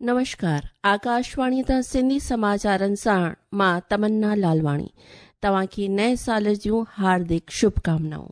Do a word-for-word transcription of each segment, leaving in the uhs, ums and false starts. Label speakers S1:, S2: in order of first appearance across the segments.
S1: नमस्कार, आकाशवाणी तां सिंधी समाचारनि सां मां तमन्ना लालवाणी तव्हांखे नए साल जूं हार्दिक शुभकामनाऊं।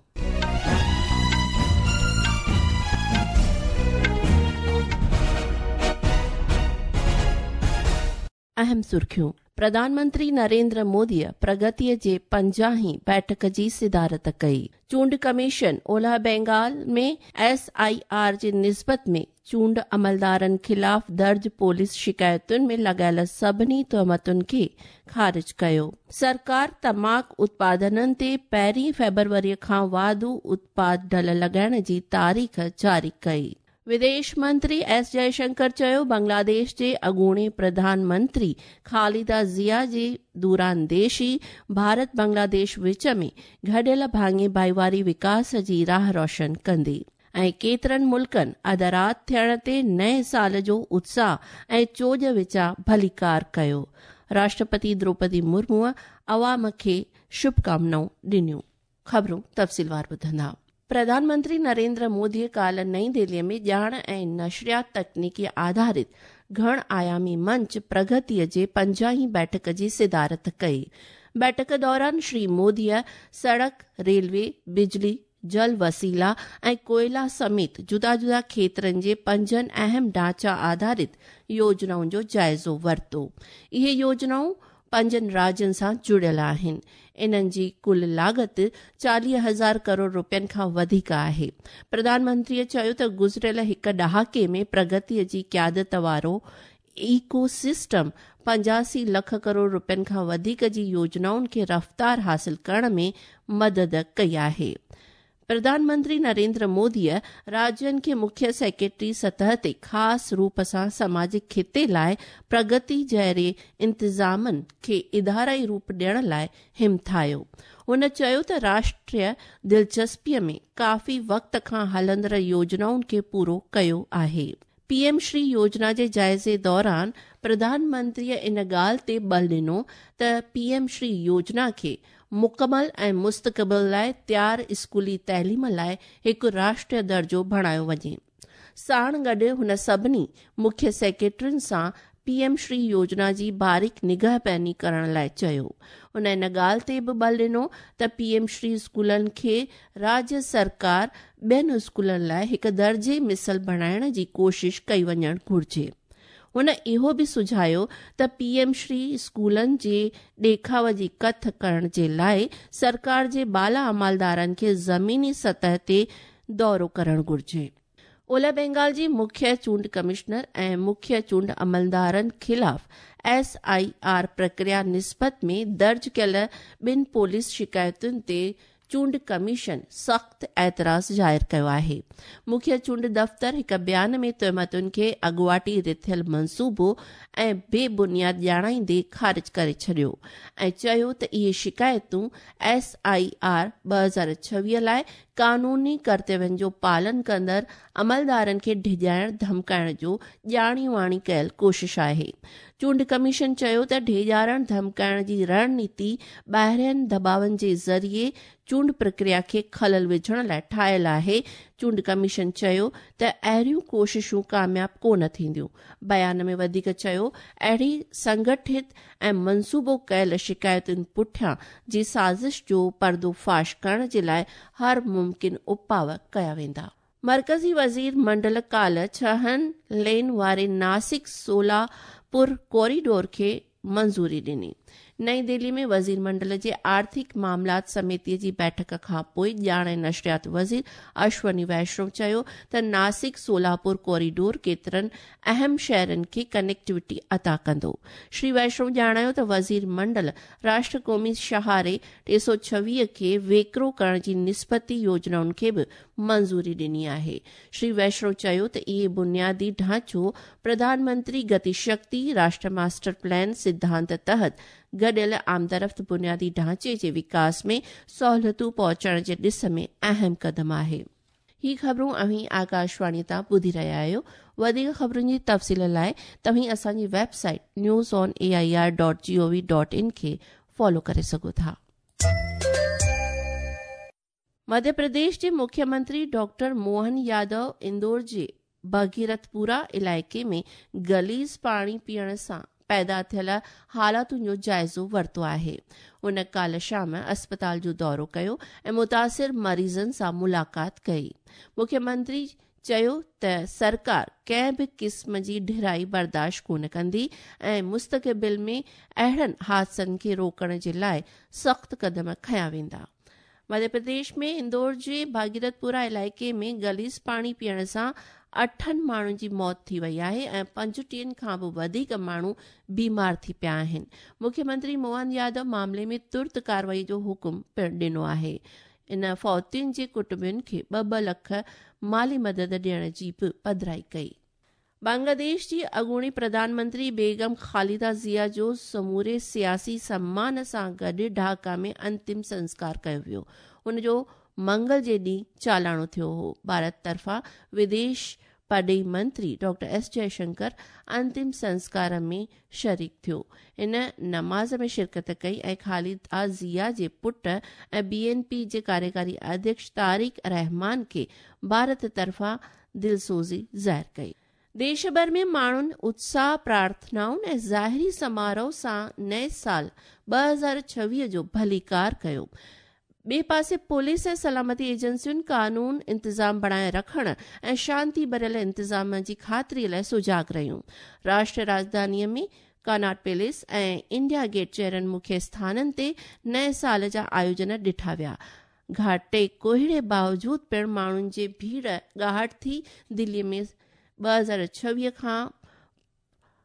S1: अहम सुर्खियूं। प्रधानमंत्री नरेंद्र मोदीअ प्रगतीअ जे पंजाहीं बैठक जी सिदारत कई। चूंड कमीशन ओलह बंगाल में एस I R जे निस्बत में चूंड अमलदारनि ख़िलाफ़ दर्ज पुलिस शिकायतुनि में लॻायल सभिनी तोहमतुनि खे ख़ारिज कयो। सरकार तमाक उत्पादननि ते पहिरीं फ़ेब्रुवरीअ खां वाधू उत्पाद ढल लॻाइण जी तारीख़ जारी कई। विदेश मंत्री एस जयशंकर चयो बांग्लादेश जे अॻूणे प्रधानमंत्री खालिदा ज़िया जी दूरांदेशी भारत बांग्लादेश विच में घडियल भाङे भाईवारी विकास जी राह रोशन कंदी। ऐं केतिरनि मुल्कनि अध राति थियण ते नए साल जो उत्साह ऐं चोॼ विचां भलीकार कयो। राष्ट्रपति द्रौपदी मुर्मूअ अवाम खे शुभकामनाऊं ॾिनियूं। ख़बरूं तफ़सीलवार ॿुधंदा। प्रधानमंत्री नरेंद्र मोदीअ काल्ह नई दिल्लीअ में ॼाण ऐं नशरियात तकनीकी आधारित घण आयामी मंच प्रगतीअ जे पंजाहीं बैठक जी सिदारत कई। बैठक दौरान श्री मोदीअ सड़क, रेलवे, बिजली, जल वसीला ऐं कोयला समेत जुदा जुदा क्षेत्रनि जे पंजनि अहम ढांचा आधारित योजनाउनि जो जाइज़ो वरितो। इहे योजनाऊं पंजनि राज्यनि सां जुड़ियल आहिनि। इन्हनि जी कुल लागत चालीह हज़ार करोड़ रुपयनि खां वधीक आहे। प्रधानमंत्रीअ चयो त गुज़िरियल हिकु ॾहाके में प्रगतीअ जी क़यादत वारो इको सिस्टम पंजासी लख करोड़ रुपयनि खां वधीक जी योजनाउनि खे रफ़्तार हासिल करण में मदद कई आहे। प्रधानमंत्री नरेंद्र मोदीअ राज्यनि खे मुख्य सेक्रेटरी सतह ते ख़ासि रूप सां समाजिक ख़िते लाइ प्रगति जहिड़े इंतिज़ामनि खे इदाराई रूप ॾियण लाइ हिमथायो। हुन चयो त राष्ट्रीय दिलचस्पीअ में काफ़ी वक़्त खां हलंदड़ योजनाउनि खे पूरो कयो आहे। पीएम श्री योजना जे जाइज़े दौरान प्रधानमंत्रीअ इन ॻाल्हि ते बल ॾिनो त पीएम श्री योजना खे मुकमल ऐं मुस्तक़बिल लाइ तयार स्कूली तइलीम लाइ हिकु राष्ट्रीय दर्जो बणायो वञे। साण गॾु हुन सभिनी मुख्य सेक्रेटरियुनि सां पीएम श्री योजना जी बारीक निगहबानी करण लाइ चयो। हुन इन ॻाल्हि ते बि बल ॾिनो त पीएम श्री स्कूलनि खे राज्य सरकार ॿियनि स्कूलनि लाइ हिकु दर्जे मिसल बणाइण जी कोशिश कई वञणु घुर्जे। हुन इहो बि सुझायो त पीएम श्री स्कूलनि जे ॾेखाव जी कथ करण जे लाइ सरकार जे बाला अमलदारनि खे ज़मीनी सतह ते दौरो करणु घुर्जे। ओलह बंगाल जी मुख्य चूंड कमिश्नर ऐं मुख्य चूंड अमलदारनि ख़िलाफ़ एस I R प्रक्रिया निस्बत में दर्ज कयल ॿिनि पुलिस शिकायतुनि ते चूंड कमीशन सख़्तु एतिराज़ ज़ाहिर कयो आहे। मुख्य चूंड दफ़्तर हिकु बयान में तोहमतुनि खे अॻुवाटी रिथियल मंसूबो ऐं बेबुनियाद ॼाणाईंदे ख़ारिज करे छॾियो ऐं चयो त इहे शिकायतूं एस I R ॿ हज़ार छवीह लाइ कानूनी कर्तव्यनि जो पालन कंदड़ अमलदारनि खे ढिॼाइण धमकाइण जो ॼाणी वाणी कयल कोशिश आहे। चूंड कमीशन चयो त ढेॼारण धमकाइण जी रणनीति ॿाहिरियनि दबावनि जे ज़रिए चूंड प्रक्रिया खे ख़लल विझण लाइ ठाहियल आहे। चूंड कमीशन चयो त अहिड़ियूं कोशिशूं कामयाब कोन थींदियूं। बयान में वधीक चयो अहिड़ी संगठित ऐं मंसूबो कयल शिकायतुनि पुठियां जी साज़िश जो पर्दो फ़ाश करण जे लाइ हर मुमकिन उपाव कया वेंदा। मरकज़ी वज़ीर मंडल काल्ह छहनि लेन वारे नासिक सोलापुर कॉरिडोर खे मंज़ूरी ॾिनी। नई दिल्ली में वज़ीर मंडल जे आर्थिक मामलात समितीअ जी बैठक खां पोइ ॼाण ऐं नशरियात वज़ीर अश्वनी वैष्णव चयो त नासिक सोलापुर कॉरिडोर केतिरनि अहम शहरनि खे कनेक्टिविटी अता कंदो। श्री वैष्णव ॼाणायो त वज़ीर मंडल राष्ट्र क़ौमी शहारे टे सौ छवीह खे वेकिरो करण जी निस्बती योजनाउनि खे बि मंज़ूरी ॾिनी आहे। श्री वैष्णव चयो त इहे बुनियादी ढांचो प्रधानमंत्री गति शक्ति राष्ट्र मास्टर प्लान सिद्धांत तहत गॾियल आमदरफ़्त बुनियादी ढांचे जे विकास में सहूलियतूं पहुचाइण जे ॾिस में अहम क़दम आहे। ही ख़बरूं अव्हीं आकाशवाणी तां ॿुधी रहिया आहियो। वधीक ख़बरुनि जी तफ़सील लाइ तव्हीं असांजी website news on A I R dot G O V dot in खे फॉलो करे सघो था। मध्य प्रदेश जे मुख्यमंत्री डॉक्टर मोहन यादव इंदौर जे भगीरथपुरा इलाइक़े में गलीज़ पाणी पीअण सां पैदा थियल हालातुनि जो जाइज़ो वरितो आहे। हुन काल्ह शाम अस्पताल जो दौरो कयो ऐं मुतासिर मरीज़नि सां मुलाक़ात कई। मुख्यमंत्री चयो त सरकार कंहिं बि क़िस्म जी ढिराई बर्दाश्त कोन कंदी ऐं मुस्तक़बिल में अहिड़नि हादसनि खे रोकण जे लाइ सख़्तु क़दम खयां वेंदा। मध्य प्रदेश में इंदौर जे भागीरथपुरा इलाइक़े में गलीज़ पाणी पीअण सां अठनि माण्हुनि जी मौत थी वई आहे ऐं पंजटीहनि खां बि वधीक माण्हू बीमार थी पिया आहिनि। मुख्यमंत्री मोहन यादव मामले में तुर्त कार्रवाई जो हुकुम पिणु ॾिनो आहे। इन फौतियुनि जे कुटुंबनि खे ॿ ॿ लख माली मदद ॾियण जी बि पधराई कई। बांग्लादेश जी अॻूणी प्रधानमंत्री बेगम खालिदा ज़िया जो समूरे सियासी सम्मान सां गॾु ढाका में अंतिम संस्कार कयो वियो। हुनजो मंगल जे ॾींहुं चालाणो थियो हो। भारत तरफ़ां विदेश परॾेही मंत्री डॉक्टर एस जयशंकर अंतिम संस्कार में शरीक थियो। इन नमाज़ में शिरकत कई ऐं खालिदा ज़िया जे पुट ऐं बी एन पी जे कार्यकारी अध्यक्ष तारिक रहमान खे भारत तरफ़ां दिलसोज़ी ज़ाहिर कई। देश भर में माण्हुनि उत्साह, प्रार्थनाउनि ऐं ज़ाहिरी समारोह सां नए साल ॿ हज़ार छवीह जो भलीकार कयो। ॿिए पासे पुलिस ऐं सलामती एजेंसियुनि कानून इंतज़ाम बणाए रखण ऐं शांति भरियल इंतज़ाम जी ख़ातिरी लाइ सुजाग रहियूं। राष्ट्रीय राजधानीअ में कॉनॉट पैलेस ऐं इंडिया गेट जहिड़नि मुख्य स्थाननि ते नए साल जा आयोजन ॾिठा विया। घाटे कोहिड़े बावजूद पिणु माण्हुनि जी भीड़ ॻाहट थी। दिल्लीअ में ॿ हज़ार छवीह खां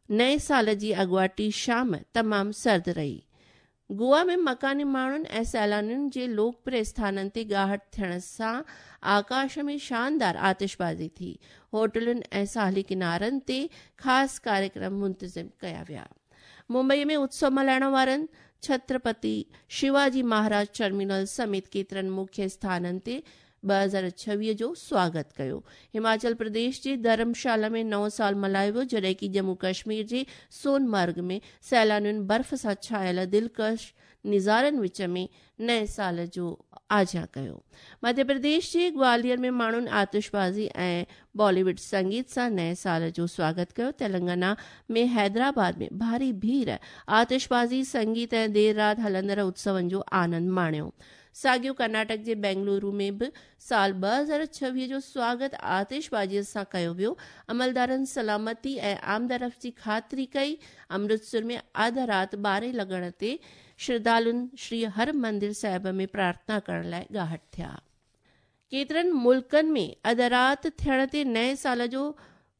S1: नए साल जी अॻुवाटी शाम तमामु सर्द रही। गोवा में मकानी माण्हुनि ऐं सैलानियुनि जे लोकप्रिय स्थाननि ते ॻाहट थियण सां आकाश में शानदार आतिशबाज़ी थी। होटलुनि ऐं साहिली किनारनि ते ख़ासि कार्यक्रम मुंतज़िम कया विया। मुंबई में उत्सव मल्हाइण वारनि छत्रपति शिवाजी महाराज टर्मिनल समेत केतिरनि मुख्य स्थाननि ते ॿ हज़ार छवीह जो स्वागत कयो। हिमाचल प्रदेश जे धर्मशाला में नओं साल मल्हायो वियो, जॾहिं की जम्मू कश्मीर जे सोनमर्ग में सैलानियुनि बर्फ़ सां छायल दिलकश नज़ारनि विच में नए साल जो आझियां कयो। मध्य प्रदेश जे ग्वालियर में माण्हुनि आतिशबाज़ी ऐं बॉलीवुड संगीत सां नए साल जो स्वागत कयो। तेलंगाना में हैदराबाद में भारी भीड़ आतिशबाज़ी, संगीत ऐं देरि राति हलंदड़ उत्सवनि जो आनंद माणियो। साॻियो कर्नाटक जे बेंगलुरु में बि साल ॿ हज़ार छवीह जो स्वागत आतिशबाज़ीअ सां कयो वियो। अमलदारनि सलामती ऐं आमदरफ़्त जी ख़ातिरी कई। अमृतसर में अधु राति ॿारहें लॻण ते श्रद्धालुनि श्री हर मंदिर साहिब में प्रार्थना करण लाइ ॻाहट थिया। केतिरनि मुल्कनि में अधु राति थियण ते नए साल जो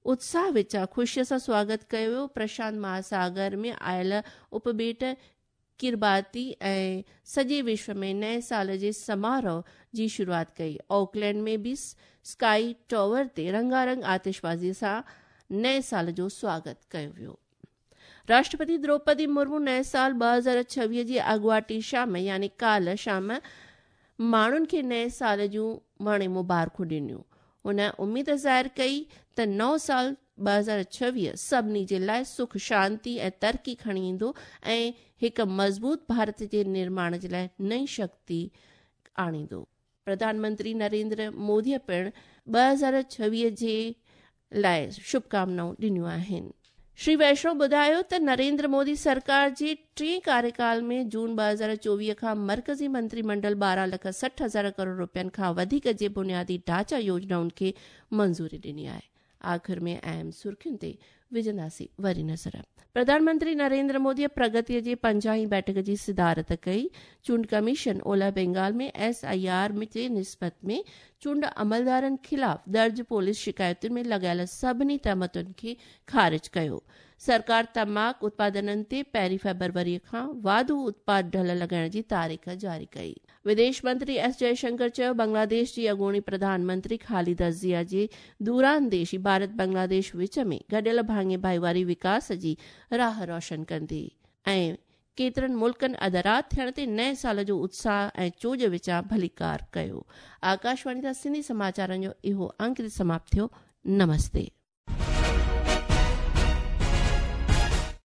S1: उत्साह विचां ख़ुशीअ सां स्वागत कयो वियो। प्रशांत महासागर में आयल उपबेट किरबाती ऐं सॼे विश्व में नए साल जे समारोह जी शुरूआत कई। ऑकलैंड में बि स्काई टॉवर ते रंगारंग आतिशबाज़ी सां नए साल जो स्वागत कयो वियो। राष्ट्रपति द्रौपदी मुर्मू नए साल ॿ हज़ार छवीह जी अॻुवाटी शाम यानी काल्ह शाम माण्हुनि खे नए साल जूं वणे मुबारकूं ॾिनियूं। हुन उमेद ज़ाहिर कई त नओं साल ॿ हज़ार छवीह सभिनी जे लाइ सुख, शांति ऐं तरक़ी खणी ईंदो ऐं हिकु मज़बूत भारत जे निर्माण जे लाइ नई शक्ति आणींदो। प्रधानमंत्री नरेंद्र मोदीअ पिणु ॿ हज़ार छवीह जे लाइ शुभकामनाऊं ॾिनियूं आहिनि। श्री वैष्णव ॿुधायो त नरेंद्र मोदी सरकार जे टे कार्यकाल में जून ॿ हज़ार चोवीह खां मर्कज़ी मंत्रिमंडल ॿारहं लख सठि हज़ार करोड़ रुपयनि खां वधीक जे बुनियादी ढांचा योजनाउनि खे मंज़ूरी ॾिनी आहे। आख़िर में अहम सुर्खियुनि ते विझंदासीं वरी नज़र। प्रधानमंत्री नरेंद्र मोदीअ प्रगतीअ जे पंजाहीं बैठक जी सिदारत कई। चूंड कमीशन ओलह बंगाल में एस I R जे निस्बत में चूंड अमलदारनि ख़िलाफ़ दर्ज पुलिस शिकायतुनि में लॻायल सभिनी तहमतुनि खे ख़ारिज कयो। सरकार तमाक उत्पादननि ते पहिरीं फ़रवरीअ खां वाधू उत्पाद ढल लॻाइण जी तारीख़ जारी कई। विदेश मंत्री एस जयशंकर चयो बांग्लादेश जी अॻूणी प्रधानमंत्री खालिदा ज़िया जे दूरांदेशी भारत बांग्लादेश विच में गॾियल भाङे भाईवारी विकास जी राह रोशन कंदी। ऐं केतिरनि मुल्कनि अधु राति थियण ते नए साल जो उत्साह ऐं चोज विचां भलीकार कयो। आकाशवाणी तां सिंधी समाचारनि जो इहो अंक समाप्त थियो। नमस्ते।